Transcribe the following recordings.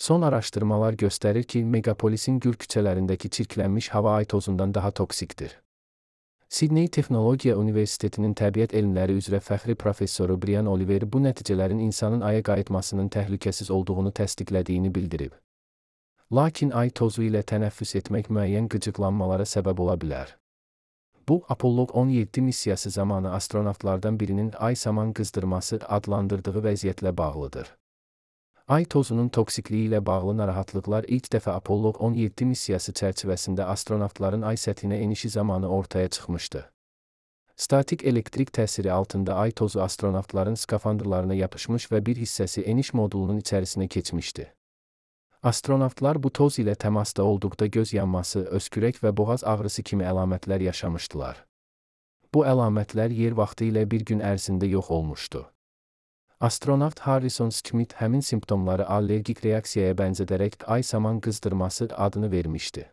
Son araşdırmalar göstərir ki, megapolisin gür küçələrindəki çirklənmiş hava ay tozundan daha toksikdir. Sidney Texnologiya Universitetinin təbiət elmləri üzrə fəxri professoru Brian Oliver bu nəticələrin insanın aya qayıtmasının təhlükəsiz olduğunu təsdiqlədiyini bildirib. Lakin ay tozu ilə tənəffüs etmək müəyyən qıcıqlanmalara səbəb ola bilər. Bu, Apollo 17 missiyası zamanı astronavtlardan birinin ay saman qızdırması adlandırdığı vəziyyətlə bağlıdır. Ay tozunun toksikliyi ilə bağlı narahatlıqlar ilk dəfə Apollo 17 missiyası çərçivəsində astronavtların ay səthinə enişi zamanı ortaya çıxmışdı. Statik elektrik təsiri altında ay tozu astronavtların skafandrlarına yapışmış və bir hissəsi eniş modulunun içərisinə keçmişdi. Astronavtlar bu toz ilə təmasda olduqda göz yanması, öskürək və boğaz ağrısı kimi əlamətlər yaşamışdılar. Bu əlamətlər yer vaxtı ilə bir gün ərzində yox olmuşdu. Astronavt Harrison Schmitt həmin simptomları allergik reaksiyaya bənzədərək ay saman qızdırması adını vermişdi.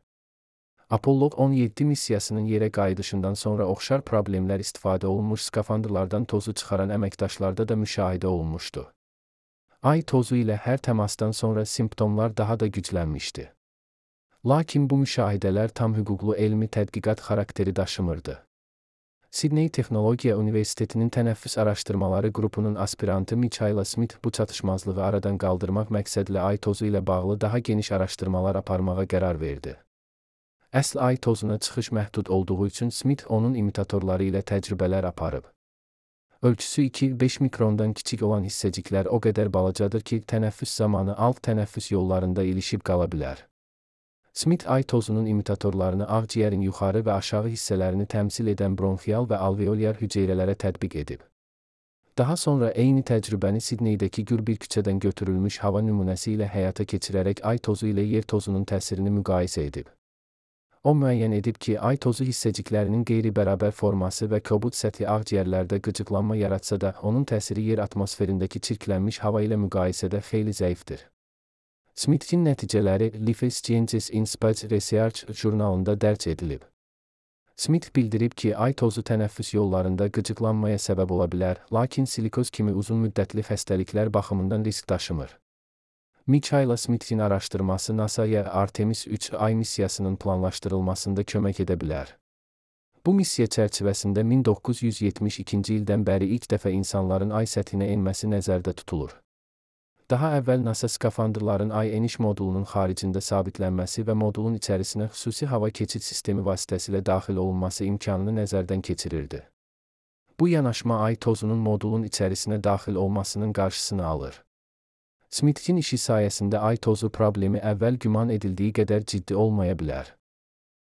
Apollo 17 missiyasının yerə qayıdışından sonra oxşar problemlər istifadə olunmuş skafandrlardan tozu çıxaran əməkdaşlarda da müşahidə olunmuşdu. Ay tozu ilə hər təmasdan sonra simptomlar daha da güclənmişdi. Lakin bu müşahidələr tam hüquqlu elmi tədqiqat xarakteri daşımırdı. Sidney Texnologiya Universitetinin tənəffüs araşdırmaları qrupunun aspirantı Michaela Smith bu çatışmazlığı aradan qaldırmaq məqsədlə ay tozu ilə bağlı daha geniş araşdırmalar aparmağa qərar verdi. Əsl ay tozuna çıxış məhdud olduğu üçün Smith onun imitatorları ilə təcrübələr aparıb. Ölçüsü 2-5 mikrondan kiçik olan hissəciklər o qədər balacadır ki, tənəffüs zamanı alt tənəffüs yollarında ilişib qala bilər. Smith ay tozunun imitatorlarını ağciyərin yuxarı və aşağı hissələrini təmsil edən bronxial və alveolyar hüceyrələrə tətbiq edib. Daha sonra eyni təcrübəni Sidneydəki gür bir küçədən götürülmüş hava nümunəsi ilə həyata keçirərək ay tozu ilə yer tozunun təsirini müqayisə edib. O müəyyən edib ki, ay tozu hissəciklərinin qeyri-bərabər forması və kobud səthi ağciyərlərdə qıcıqlanma yaratsa da, onun təsiri yer atmosferindəki çirklənmiş hava ilə müqayisədə xeyli zəifdir. Smith'in nəticələri Life Sciences in Space Research jurnalında dərc edilib. Smith bildirib ki, ay tozu tənəffüs yollarında qıcıqlanmaya səbəb ola bilər, lakin silikoz kimi uzun müddətli xəstəliklər baxımından risk daşımır. Michaela Smith'in araşdırması NASA-ya Artemis 3 ay missiyasının planlaşdırılmasında kömək edə bilər. Bu missiya çərçivəsində 1972-ci ildən bəri ilk dəfə insanların ay səthinə enməsi nəzərdə tutulur. Daha əvvəl NASA skafandrların ay eniş modulunun xaricində sabitlənməsi və modulun içərisinə xüsusi hava keçid sistemi vasitəsilə daxil olunması imkanını nəzərdən keçirirdi. Bu yanaşma ay tozunun modulun içərisinə daxil olmasının qarşısını alır. Smith'in işi sayəsində ay tozu problemi əvvəl güman edildiyi qədər ciddi olmaya bilər.